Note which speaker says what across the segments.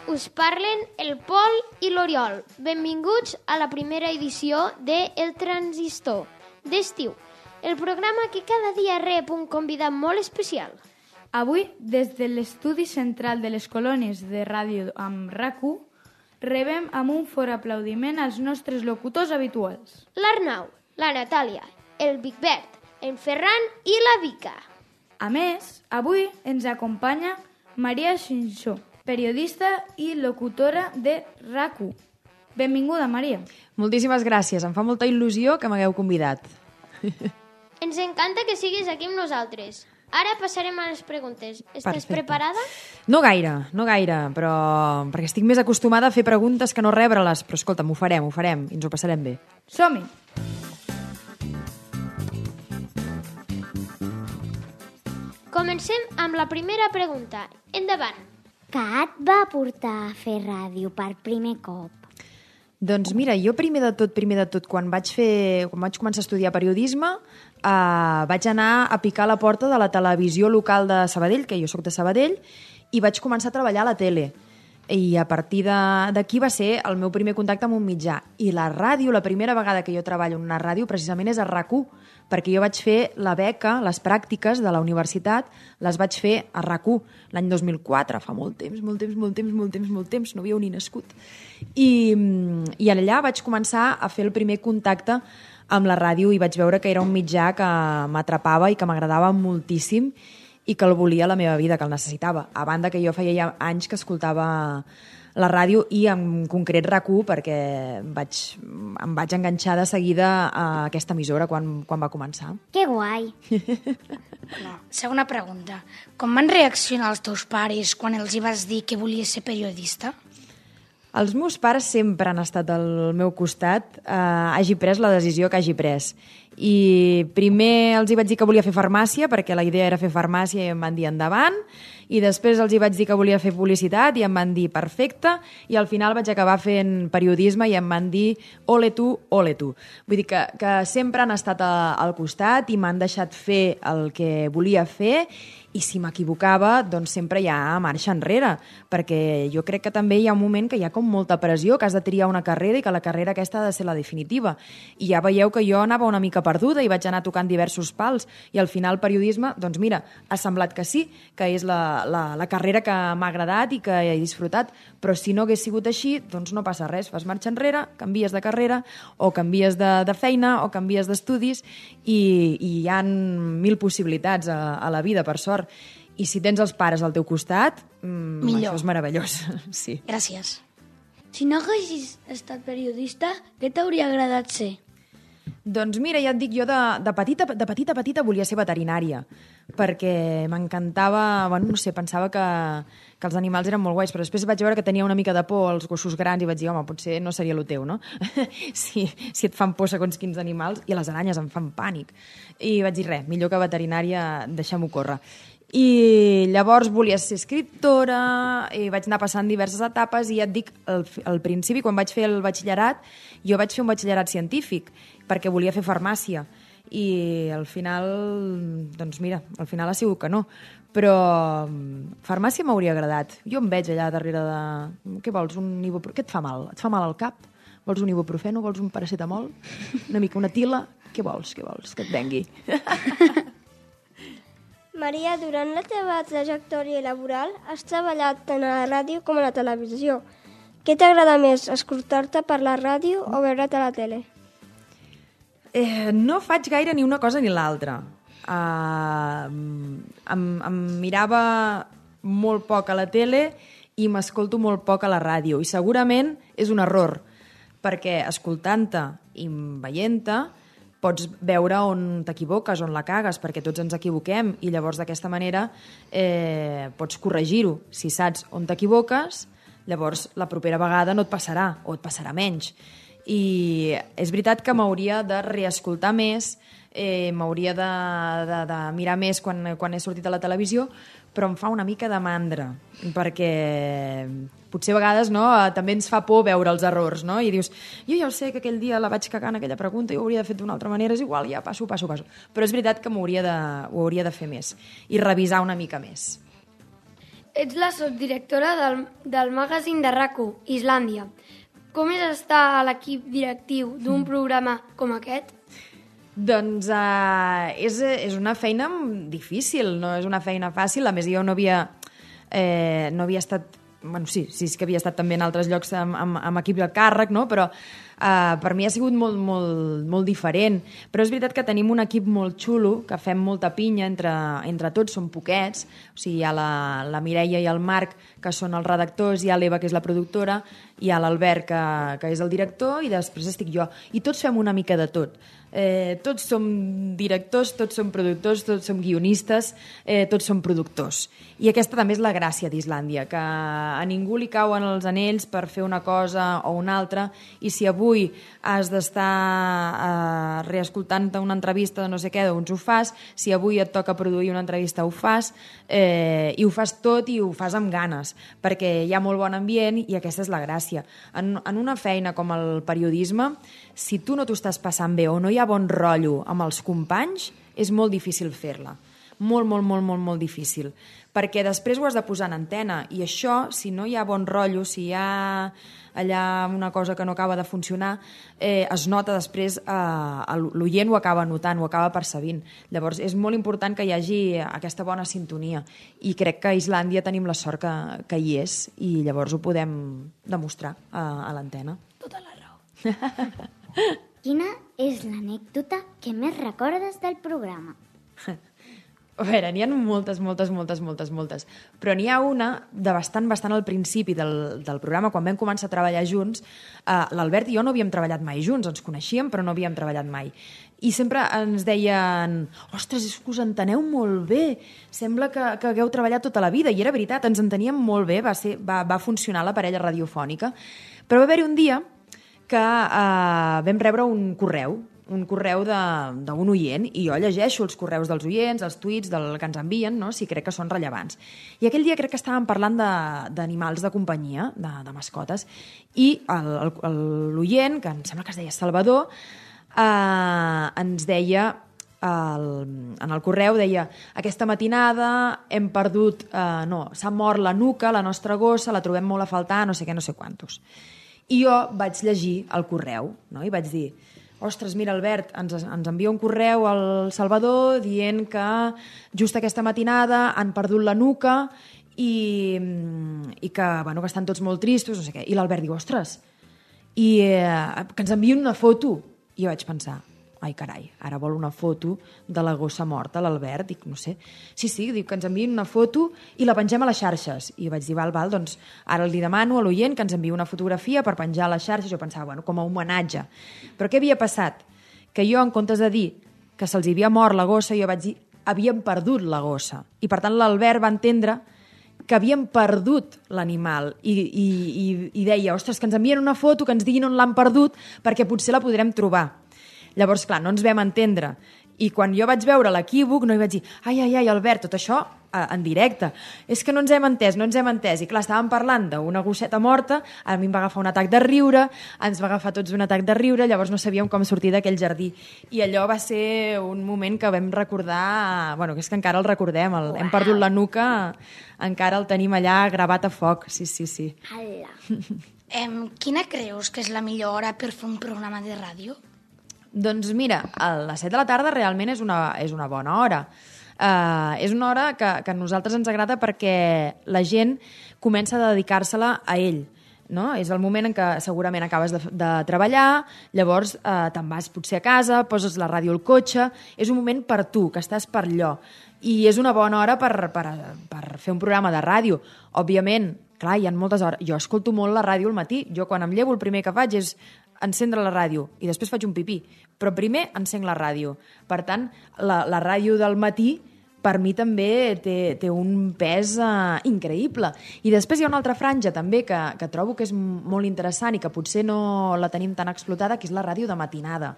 Speaker 1: us parlen el Pol i l'Oriol. Benvinguts a la primera edició de El Transistor d'estiu, el programa que cada dia rep un convidat molt especial.
Speaker 2: Avui, des de l'estudi central de les colònies de ràdio amb RAC1, rebem amb un fort aplaudiment als nostres locutors habituals.
Speaker 1: L'Arnau, la Natàlia, el Bigbert, en Ferran i la Vica.
Speaker 2: A més, avui ens acompanya Maria Xinxó, periodista i locutora de RAC1. Benvinguda, Maria.
Speaker 3: Moltíssimes gràcies, em fa molta il·lusió que m'hagueu convidat.
Speaker 1: Ens encanta que siguis aquí amb nosaltres. Ara passarem a les preguntes. Estàs preparada?
Speaker 3: No gaire, però perquè estic més acostumada a fer preguntes que no rebre-les. Però escolta'm, ho farem i ens ho passarem bé.
Speaker 2: Som-hi!
Speaker 1: Comencem amb la primera pregunta. Endavant.
Speaker 4: Què et va portar a fer ràdio per primer cop?
Speaker 3: Doncs mira, jo primer de tot, quan vaig començar a estudiar periodisme, vaig anar a picar a la porta de la televisió local de Sabadell, que jo sóc de Sabadell, i vaig començar a treballar a la tele. I a partir d'aquí va ser el meu primer contacte amb un mitjà. I la ràdio, la primera vegada que jo treballo en una ràdio, precisament és a RAC1, perquè jo vaig fer la beca, les pràctiques de la universitat, les vaig fer a RAC1 l'any 2004, fa molt temps, no havíeu ni nascut. I allà vaig començar a fer el primer contacte amb la ràdio i vaig veure que era un mitjà que m'atrapava i que m'agradava moltíssim i que el volia a la meva vida, que el necessitava. A banda que jo feia ja anys que escoltava la ràdio i en concret RAC1 perquè em vaig enganxar de seguida a aquesta emissora quan va començar.
Speaker 4: Que guai!
Speaker 5: Segona pregunta. Com van reaccionar els teus pares quan els hi vas dir que volies ser periodista?
Speaker 3: Els meus pares sempre han estat al meu costat, hagi pres la decisió que hagi pres. I primer els hi vaig dir que volia fer farmàcia, perquè la idea era fer farmàcia i em van dir endavant, i després els hi vaig dir que volia fer publicitat i em van dir perfecte, i al final vaig acabar fent periodisme i em van dir ole tu, ole tu. Vull dir que sempre han estat al costat i m'han deixat fer el que volia fer, i si m'equivocava, doncs sempre hi ha marxa enrere, perquè jo crec que també hi ha un moment que hi ha com molta pressió, que has de triar una carrera i que la carrera aquesta ha de ser la definitiva. I ja veieu que jo anava una mica perduda i vaig anar tocant diversos pals, i al final periodisme, doncs mira, ha semblat que sí, que és la carrera que m'ha agradat i que he disfrutat, però si no hagués sigut així, doncs no passa res, fas marxa enrere, canvies de carrera, o canvies de feina, o canvies d'estudis, i hi ha 1000 possibilitats a la vida, per sort. I si tens els pares al teu costat, això és meravellós. Sí.
Speaker 5: Gràcies.
Speaker 6: Si no haguessis estat periodista, què t'hauria agradat ser?
Speaker 3: Doncs mira, ja et dic, jo de petita volia ser veterinària, perquè m'encantava, bueno, no sé, pensava que els animals eren molt guais, però després vaig veure que tenia una mica de por als gossos grans i vaig dir, home, potser no seria el teu, no? si et fan por segons quins animals, i les aranyes em fan pànic. I vaig dir, res, millor que veterinària, deixem-ho córrer. I llavors volia ser escriptora i vaig anar passant diverses etapes i ja et dic, al principi, quan vaig fer el batxillerat, jo vaig fer un batxillerat científic perquè volia fer farmàcia i al final, doncs mira, al final ha sigut que no, però farmàcia m'hauria agradat. Jo em veig allà darrere de... Què vols, un ibuprofeno? Què et fa mal? Et fa mal al cap? Vols un ibuprofeno? Vols un paracetamol? Una mica una tila? Què vols? Que et vengui?
Speaker 7: Maria, durant la teva trajectòria laboral has treballat tant a la ràdio com a la televisió. Què t'agrada més, escoltar-te per la ràdio o veure't a la tele?
Speaker 3: No faig gaire ni una cosa ni l'altra. Em mirava molt poc a la tele i m'escolto molt poc a la ràdio. I segurament és un error, perquè escoltant-te i veient-te pots veure on t'equivoques, on la cagues, perquè tots ens equivoquem i llavors d'aquesta manera pots corregir-ho. Si saps on t'equivoques, llavors la propera vegada no et passarà o et passarà menys. I és veritat que m'hauria de reescoltar més, m'hauria de mirar més quan he sortit a la televisió, però em fa una mica de mandra, perquè potser a vegades també ens fa por veure els errors, no? I dius, jo ja ho sé que aquell dia la vaig cagar en aquella pregunta i ho hauria de fer d'una altra manera, és igual, ja passo. Però és veritat que ho hauria de fer més i revisar una mica més.
Speaker 8: ets la subdirectora del magazín de RAC1, Islàndia. Com és estar a l'equip directiu d'un programa com aquest?
Speaker 3: Doncs és una feina difícil, no és una feina fàcil. A més, jo no havia estat... Bueno, sí és que havia estat també en altres llocs amb equip de càrrec, no? Però per mi ha sigut molt diferent. Però és veritat que tenim un equip molt xulo, que fem molta pinya entre tots, som poquets. O sigui, hi ha la Mireia i el Marc, que són els redactors, hi ha l'Eva, que és la productora, hi ha l'Albert, que és el director, i després estic jo. I tots fem una mica de tot. Tots som directors, tots som productors, tots som guionistes, tots som productors. I aquesta també és la gràcia d'Islàndia, que a ningú li cauen els anells per fer una cosa o una altra, i si avui has d'estar reescoltant una entrevista de no sé què, doncs ho fas. Si avui et toca produir una entrevista, ho fas, i ho fas tot i ho fas amb ganes, perquè hi ha molt bon ambient i aquesta és la gràcia. En una feina com el periodisme, si tu no t'ho estàs passant bé o no hi ha bon rotllo amb els companys, és molt difícil fer-la. Molt difícil. Perquè després ho has de posar en antena i això, si no hi ha bon rotllo, si hi ha allà una cosa que no acaba de funcionar, es nota després, l'oient ho acaba notant, ho acaba percebint. Llavors és molt important que hi hagi aquesta bona sintonia i crec que a Islàndia tenim la sort que hi és i llavors ho podem demostrar a l'antena.
Speaker 5: Tota la raó.
Speaker 4: Quina és l'anècdota que més recordes del programa?
Speaker 3: A veure, n'hi ha moltes, però n'hi ha una de bastant al principi del programa, quan vam començar a treballar junts. L'Albert i jo no havíem treballat mai junts, ens coneixíem però no havíem treballat mai. I sempre ens deien, ostres, és que us enteneu molt bé, sembla que hagueu treballat tota la vida, i era veritat, ens enteníem molt bé, va funcionar la parella radiofònica. Però va haver-hi un dia que vam rebre un correu d'un oient, i jo llegeixo els correus dels oients, els tuits que ens envien, no? Si crec que són rellevants. I aquell dia crec que estàvem parlant d'animals de companyia, de mascotes, i l'oient, que em sembla que es deia Salvador, ens deia, en el correu deia, aquesta matinada hem perdut, s'ha mort la Nuca, la nostra gossa, la trobem molt a faltar, no sé què, no sé quantos. I jo vaig llegir el correu, no? I vaig dir, ostres, mira, Albert, ens envia un correu al Salvador dient que just aquesta matinada han perdut la Nuca i que estan tots molt tristos, no sé què. I l'Albert diu, ostres, i que ens envien una foto. I jo vaig pensar, ai, carai, ara vol una foto de la gossa morta, l'Albert, dic, no sé. Sí, diu que ens enviïn una foto i la pengem a les xarxes. I vaig dir, val, doncs ara li demano a l'oient que ens enviï una fotografia per penjar a les xarxes. Jo pensava, com a homenatge. Però què havia passat? Que jo, en comptes de dir que se'ls havia mort la gossa, jo vaig dir, havien perdut la gossa. I per tant l'Albert va entendre que havien perdut l'animal i deia, ostres, que ens envien una foto, que ens diguin on l'han perdut, perquè potser la podrem trobar. Llavors, clar, no ens vam entendre. I quan jo vaig veure l'equívoc, no hi vaig dir, ai, Albert, tot això en directe. És que no ens hem entès. I clar, estàvem parlant d'una gosseta morta, a mi em va agafar un atac de riure, ens va agafar tots un atac de riure, llavors no sabíem com sortir d'aquell jardí. I allò va ser un moment que vam recordar, que és que encara el recordem, hem perdut la Nuca, encara el tenim allà gravat a foc, sí.
Speaker 5: Quina creus que és la millor hora per fer un programa de ràdio?
Speaker 3: Doncs mira, a les 7 de la tarda realment és una bona hora. És una hora que a nosaltres ens agrada perquè la gent comença a dedicar-se-la a ell. No? És el moment en què segurament acabes de treballar, llavors te'n vas potser a casa, poses la ràdio al cotxe, és un moment per tu, que estàs per allò. I és una bona hora per fer un programa de ràdio. Òbviament, clar, hi ha moltes hores. Jo escolto molt la ràdio al matí. Jo quan em llevo el primer que faig és encendre la ràdio i després faig un pipí. Però primer encenc la ràdio. Per tant, la ràdio del matí per mi també té un pes increïble. I després hi ha una altra franja també que trobo que és molt interessant i que potser no la tenim tan explotada, que és la ràdio de matinada.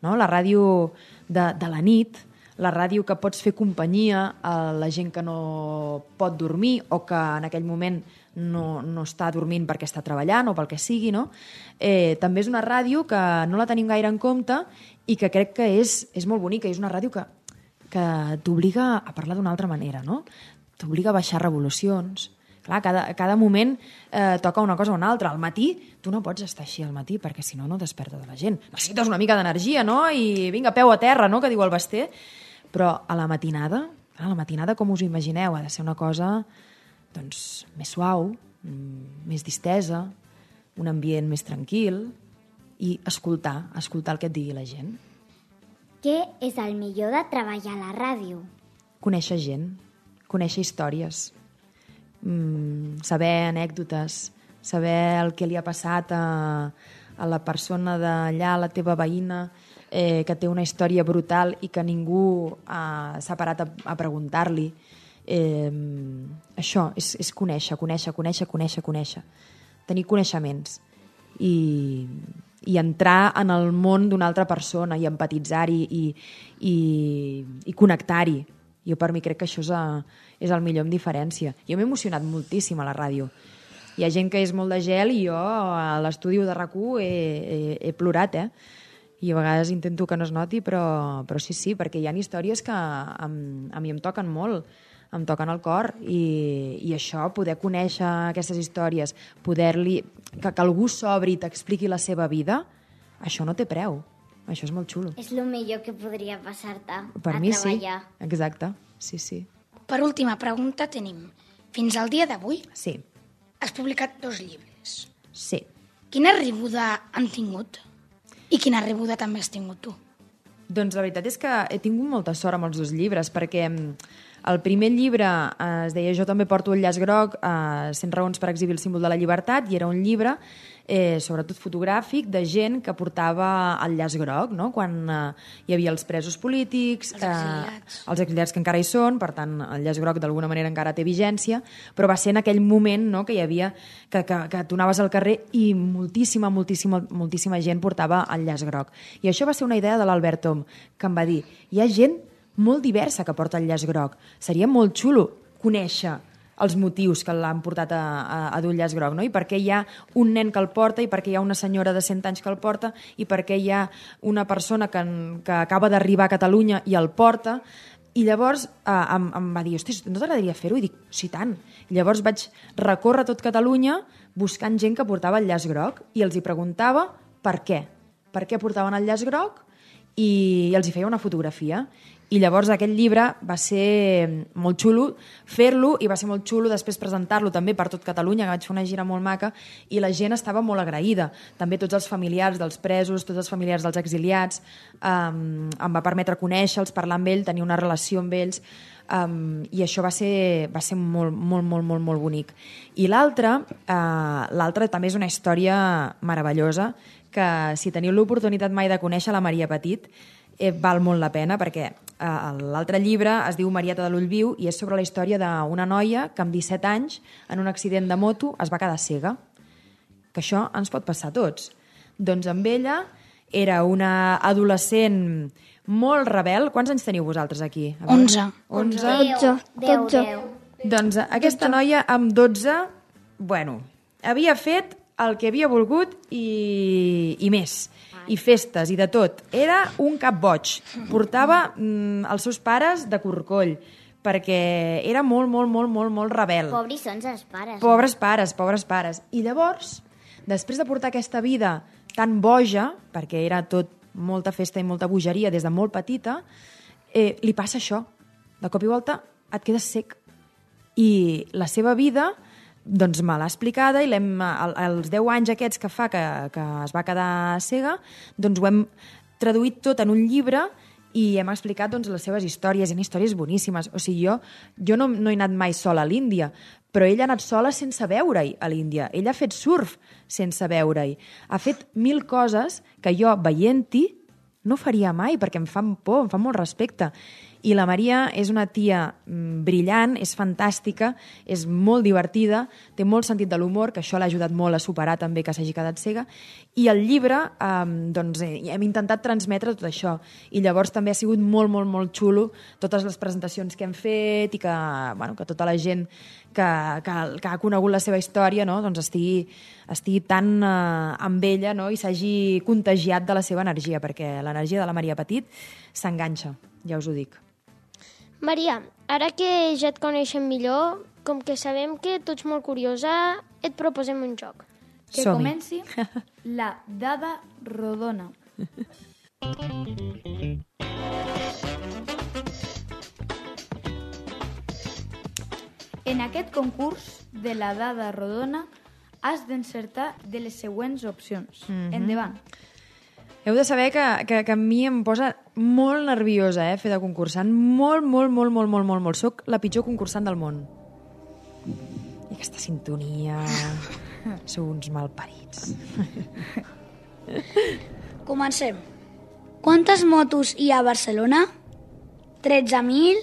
Speaker 3: No? La ràdio de la nit, la ràdio que pots fer companyia a la gent que no pot dormir o que en aquell moment no està dormint perquè està treballant o pel que sigui, no? També és una ràdio que no la tenim gaire en compte i que crec que és molt bonica, és una ràdio que t'obliga a parlar d'una altra manera, no? T'obliga a baixar revolucions, clar, cada moment toca una cosa o una altra. Al matí, tu no pots estar així al matí, perquè si no, no desperta de la gent. Necessites una mica d'energia, no? I vinga, peu a terra, no?, que diu el Basté. Però a la matinada, com us ho imagineu, ha de ser una cosa doncs, més suau, més distesa, un ambient més tranquil i escoltar el que et digui la gent.
Speaker 4: Què és el millor de treballar a la ràdio?
Speaker 3: Conèixer gent, conèixer històries, saber anècdotes, saber el que li ha passat a la persona d'allà, la teva veïna, que té una història brutal i que ningú s'ha parat a preguntar-li. Això és conèixer. Tenir coneixements i entrar en el món d'una altra persona i empatitzar-hi i connectar-hi. Jo per mi crec que això és el millor en diferència. Jo m'he emocionat moltíssim a la ràdio. Hi ha gent que és molt de gel i jo a l'estudi de RAC1 he plorat, i a vegades intento que no es noti, però sí, perquè hi ha històries que a mi em toquen molt, em toquen el cor, i això, poder conèixer aquestes històries, que algú s'obri i t'expliqui la seva vida, això no té preu. Això és molt xulo.
Speaker 4: És el millor que podria passar-te
Speaker 3: Per
Speaker 4: a
Speaker 3: mi
Speaker 4: treballar.
Speaker 3: sí, exacte, sí.
Speaker 5: Per última pregunta tenim, fins al dia d'avui
Speaker 3: Sí,
Speaker 5: has publicat 2 llibres.
Speaker 3: sí.
Speaker 5: Quina rebuda han tingut? I quina rebuda també has tingut tu?
Speaker 3: Doncs la veritat és que he tingut molta sort amb els 2 llibres, perquè el primer llibre es deia Jo també porto el llaç groc, 100 raons per exhibir el símbol de la llibertat, i era un llibre sobretot fotogràfic de gent que portava el llaç groc, no? Quan hi havia els presos polítics, els exiliats que encara hi són, per tant el llaç groc d'alguna manera encara té vigència, però va ser en aquell moment, no?, que hi havia que tu anaves al carrer i moltíssima gent portava el llaç groc. I això va ser una idea de l'Albert Tom, que em va dir, hi ha gent molt diversa que porta el llaç groc. Seria molt xulo conèixer els motius que l'han portat a dur el llaç groc, no? I per què hi ha un nen que el porta, i per què hi ha una senyora de 100 anys que el porta, i per què hi ha una persona que acaba d'arribar a Catalunya i el porta. I llavors em va dir, hosti, no t'agradaria fer-ho? I dic, sí, tant. I llavors vaig recórrer tot Catalunya buscant gent que portava el llaç groc i els hi preguntava per què portaven el llaç groc, i els hi feia una fotografia. I llavors aquest llibre va ser molt xulo fer-lo, i va ser molt xulo després presentar-lo també per tot Catalunya, que vaig fer una gira molt maca, i la gent estava molt agraïda. També tots els familiars dels presos, tots els familiars dels exiliats, em va permetre conèixer-los, parlar amb ells, tenir una relació amb ells, i això va ser molt bonic. I l'altre també és una història meravellosa, que si teniu l'oportunitat mai de conèixer la Maria Petit, val molt la pena, perquè l'altre llibre es diu Marieta de l'ull viu i és sobre la història d'una noia que amb 17 anys en un accident de moto es va quedar cega, que això ens pot passar a tots. Doncs amb ella era una adolescent molt rebel. Quants anys teniu vosaltres aquí?
Speaker 5: 11.
Speaker 7: 12.
Speaker 3: Doncs aquesta noia amb 12, havia fet el que havia volgut i més, i festes i de tot. Era un cap boig. Portava els seus pares de corcoll, perquè era molt rebel.
Speaker 4: Pobrissons els pares.
Speaker 3: Pobres pares. I llavors, després de portar aquesta vida tan boja, perquè era tot molta festa i molta bogeria des de molt petita, li passa això. De cop i volta et quedes cec. I la seva vida doncs me l'ha explicada, i els 10 anys aquests que fa que es va quedar cega, doncs ho hem traduït tot en un llibre i hem explicat doncs, les seves històries. Hi ha històries boníssimes. O sigui, jo no he anat mai sola a l'Índia, però ella ha anat sola sense veure-hi a l'Índia. Ella ha fet surf sense veure-hi. Ha fet 1000 coses que jo, veient-hi, no faria mai, perquè em fan por, em fan molt respecte. I la Maria és una tia brillant, és fantàstica, és molt divertida, té molt sentit de l'humor, que això l'ha ajudat molt a superar també que s'hagi quedat cega, i el llibre doncs, hem intentat transmetre tot això, i llavors també ha sigut molt xulo totes les presentacions que hem fet i que tota la gent que ha conegut la seva història, no, doncs estigui tan amb ella, no, i s'hagi contagiat de la seva energia, perquè l'energia de la Maria Petit s'enganxa, ja us ho dic.
Speaker 1: Maria, ara que ja et coneixem millor, com que sabem que tu ets molt curiosa, et proposem un joc.
Speaker 2: Que
Speaker 3: Som-hi.
Speaker 2: comenci la dada rodona. En aquest concurs de la dada rodona has d'encertar de les següents opcions. Endavant.
Speaker 3: Heu de saber que a mi em posa molt nerviosa, fer de concursant. Molt. Soc la pitjor concursant del món. I aquesta sintonia... Sou uns malparits.
Speaker 5: Comencem. Quantes motos hi ha a Barcelona? 13.000,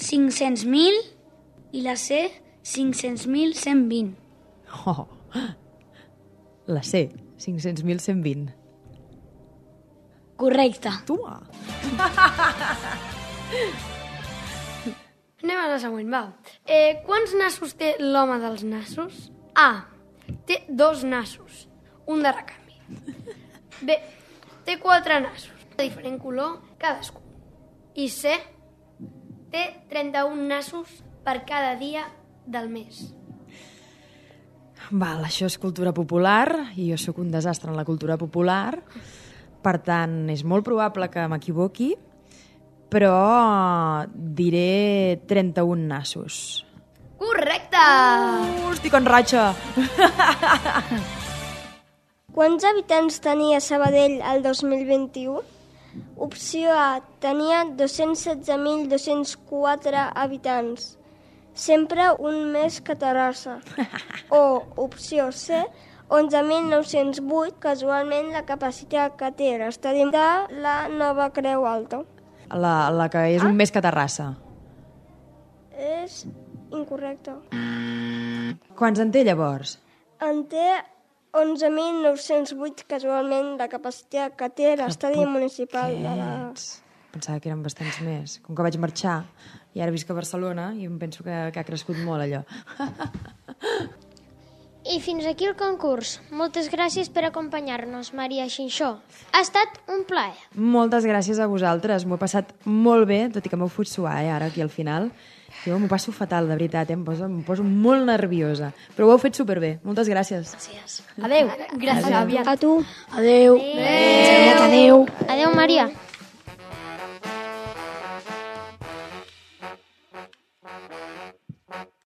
Speaker 5: 500.000 i la C, 500.120.
Speaker 3: Oh, la C, 500.120.
Speaker 5: Correcte.
Speaker 3: Toma!
Speaker 8: Anem a la següent, va. Quants nassos té l'home dels nassos? A. Té 2 nassos, un de recanvi. B. Té 4 nassos, de diferent color cadascun. I C. Té 31 nassos per cada dia del mes.
Speaker 3: Val, això és cultura popular i jo sóc un desastre en la cultura popular. Per tant, és molt probable que m'equivoqui, però diré 31 nassos.
Speaker 8: Correcte!
Speaker 3: Estic en ratxa!
Speaker 7: Quants habitants tenia Sabadell el 2021? Opció A, tenia 216.204 habitants. Sempre un més que Terrassa. O opció C, 11.908, casualment la capacitat que té l'estadi de la Nova Creu Alta.
Speaker 3: La que és un més que Terrassa.
Speaker 7: És incorrecte.
Speaker 3: Quants en té, llavors?
Speaker 7: En té 11.908, casualment la capacitat que té l'estadi municipal de la...
Speaker 3: Pensava que eren bastants més. Com que vaig marxar i ara visc a Barcelona i em penso que ha crescut molt allò.
Speaker 1: I fins aquí el concurs. Moltes gràcies per acompanyar-nos, Maria Xinxó. Ha estat un plaer.
Speaker 3: Moltes gràcies a vosaltres. M'ho he passat molt bé, tot i que m'heu fot suar, ara aquí al final. Jo m'ho passo fatal, de veritat, em poso molt nerviosa. Però ho heu fet superbé. Moltes gràcies.
Speaker 5: Gràcies.
Speaker 8: Adéu.
Speaker 2: Gràcies.
Speaker 7: A tu.
Speaker 5: Adéu.
Speaker 1: Adéu, Maria.